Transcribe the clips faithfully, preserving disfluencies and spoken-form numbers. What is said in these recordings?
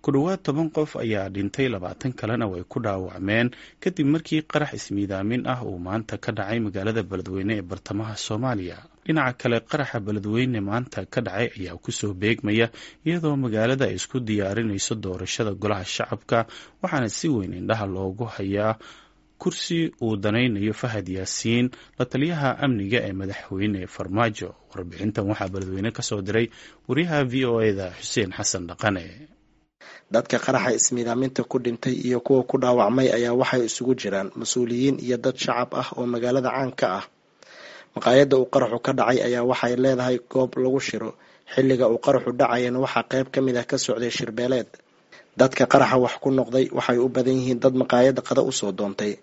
Ku dhowaad toban qof ayaa dhintay, labaatan kalena way ku dhaawacmeen kadib markii qarax ismiidaamin ah uu maanta ka dhacay magaalada Beledweyne ee bartamaha Soomaaliya. Dhinaca kale, qaraxa Beledweyne maanta ka dhacay ayaa kusoo beegmaya iyadoo magaalada ay isku diyaarinayso doorashada golaha shacabka, waxaana si weyn indhaha loogu hayaa kursi uu danaynayo Fahad Yaasiin, la taliyaha amniga ee madaxweyne Farmaajo. Warbixintan waxaa Beledweyne kasoo diray wariyaha V O E da Xuseen Xasan Dhaqane. Dadka qaraxa ismiidaaminta ku dhintay iyo kuwa ku dhaawacmay ayaa waxay isugu jiraan mas-uuliyiin iyo dad shacab ah oo magaalada caan ka ah. Maqaayadda uu qaraxu ka dhacay ayaa waxay leedahay goob lagu shiro. Xilliga uu qaraxu dhacayana waxaa qayb ka mid ah ka socday shirbeeleed. Dadka qaraxa wax ku noqday waxay u badan yihiin dad maqaayadda qada usoo doontay.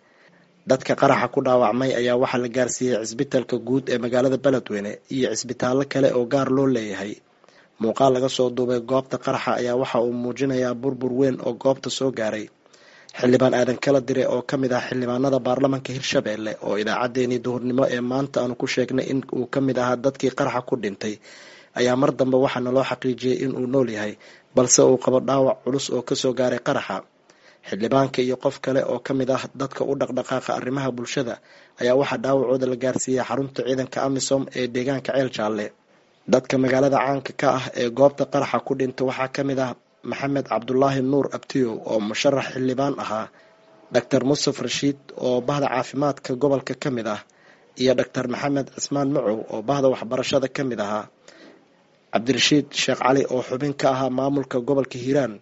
Dadka qaraxa ku dhaawacmay ayaa waxaa la gaarsiiyey cisbitaalka guud ee magaalada Beledweyne iyo cisbitaallo kale oo gaar loo leeyahay. Muuqaal laga soo duubay goobta qaraxa ayaa waxa uu muujinayaa burbur weyn oo goobta soo gaaray. Xildhibaan Aadan Kala Dire oo ka mid ah xildhibaanada baarlamaanka Hirshabelle oo idaacaddeenii duhurnimo ee maanta aanu ku sheegnay in uu ka mid ahaa dadkii qaraxa ku dhintay ayaa mar dambe waxaa naloo xaqiijiyey in uu nool yahay, balse uu qabo dhaawac culus oo kasoo gaaray qaraxa. Xildhibaanka iyo qof kale oo ka mid ah dadka u dhaqdhaqaaqa arrimaha bulshada ayaa waxaa dhaawacooda la gaarsiiyey xarunta ciidanka AMISOM ee deegaanka Ceel Jaalle. Dadka magaalada caanka ka ah ee goobta qaraxa ku dhinta waxaa ka mid ah Maxamed Cabdulaahi Nuur Abtiyow oo musharax xildhibaan ahaa, Doctor Mustaf Rashiid oo bahda caafimaadka gobolka ka mid ah, iyo Doctor Maxamed Cismaan Macow oo bahda waxbarashada ka mid ahaa, Cabdirashiid Sheekh Cali oo xubin ka ahaa maamulka gobolka Hiiraan,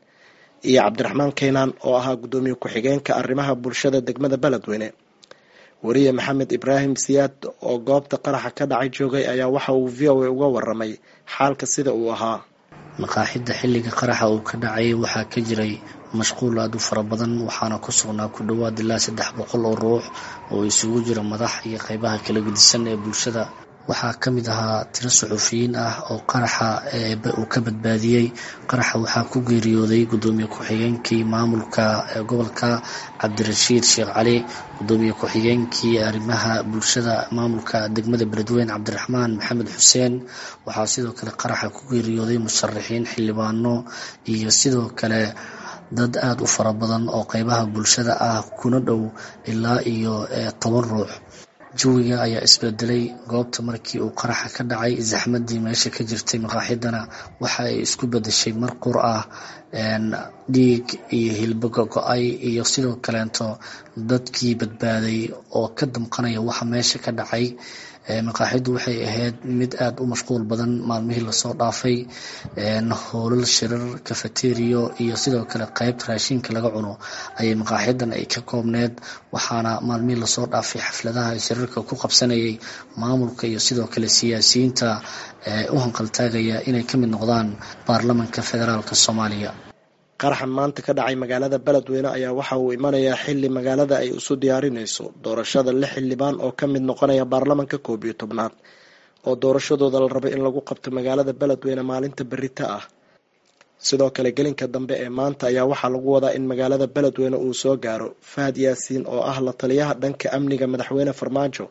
iyo Cabdiraxmaan Keynaan oo ahaa guddoomiye ku-xigeenka arrimaha bulshada degmada Beledweyne. Wariye Maxamed Ibraahim Siyaad oo goobta qaraxa ka dhacay joogay ayaa waxa uu V O A uga waramay xaalka sida uu ahaa. Maqaaxida xilliga qaraxa uu ka dhacay waxaa ka jiray mashquul aad u fara badan, waxaana ku sugnaa ku dhowaad ilaa saddex boqol oo ruux oo isugu jira madax iyo qaybaha kala gedisan ee bulshada. Waxaa ka mid ahaa tiro suxufiyiin ah oo qaraxa uu ka badbaadiyey. Qaraxa waxaa ku geeriyooday guddoomiye ku-xigeenkii maamulka gobolka Cabdirashiid Sheekh Cali, guddoomiye ku-xigeenkii arrimaha bulshada maamulka degmada Beledweyne Cabdiraxmaan Maxamed Xuseen. Waxaa sidoo kale qaraxa ku geeriyooday musharaxiin, xildhibaano iyo sidoo kale dad aada u fara badan oo qaybaha bulshada ah, kuna dhow ilaa iyo toban ruux. Jawiga ayaa isbedelay goobta markii uu qaraxa ka dhacay. Zaxmadii meesha ka jirtay maqaaxidana waxa ay isku bedeshay mar qur ah, dhiig iyo hilbo gogo-ay iyo sidoo kaleento dadkii badbaaday oo ka damqanaya waxa meesha ka dhacay. Maqaaxidu waxay ahayd mid aada u mashquul badan maalmihii lasoo dhaafay. Hoolal shirar, cafeterio iyo sidoo kale qaybta raashinka laga cuno ayay maqaaxidan ay ka koobneed, waxaana maalmihii lasoo dhaafay xafladaha shirarka ku qabsanayay maamulka iyo sidoo kale siyaasiyiinta u hanqaltaagaya inay ka mid noqdaan baarlamanka federaalka Soomaaliya. Qaraxa maanta ka dhacay magaalada Beledweyne ayaa waxa uu imanayaa xilli magaalada ay isu diyaarinayso doorashada lix xildhibaan oo ka mid noqonaya baarlamanka koob iyo tobnaad oo doorashadooda la rabo in lagu qabto magaalada Beledweyne maalinta berita ah. Sidoo kale gelinka dambe ee maanta ayaa waxaa lagu wadaa in magaalada Beledweyne uu soo gaaro Fahad Yaasiin oo ah la taliyaha dhanka amniga madaxweyne Farmaajo,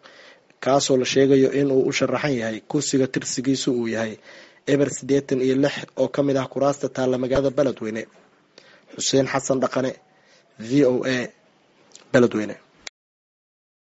kaasoo la sheegayo in uu u sharaxan yahay kursiga tirsigiisu uu yahay eber siddeetan iyo lix oo ka mid ah kuraasta taalla magaalada Beledweyne. Xuseen Xasan Dhaqane, V O A, Beledweyne.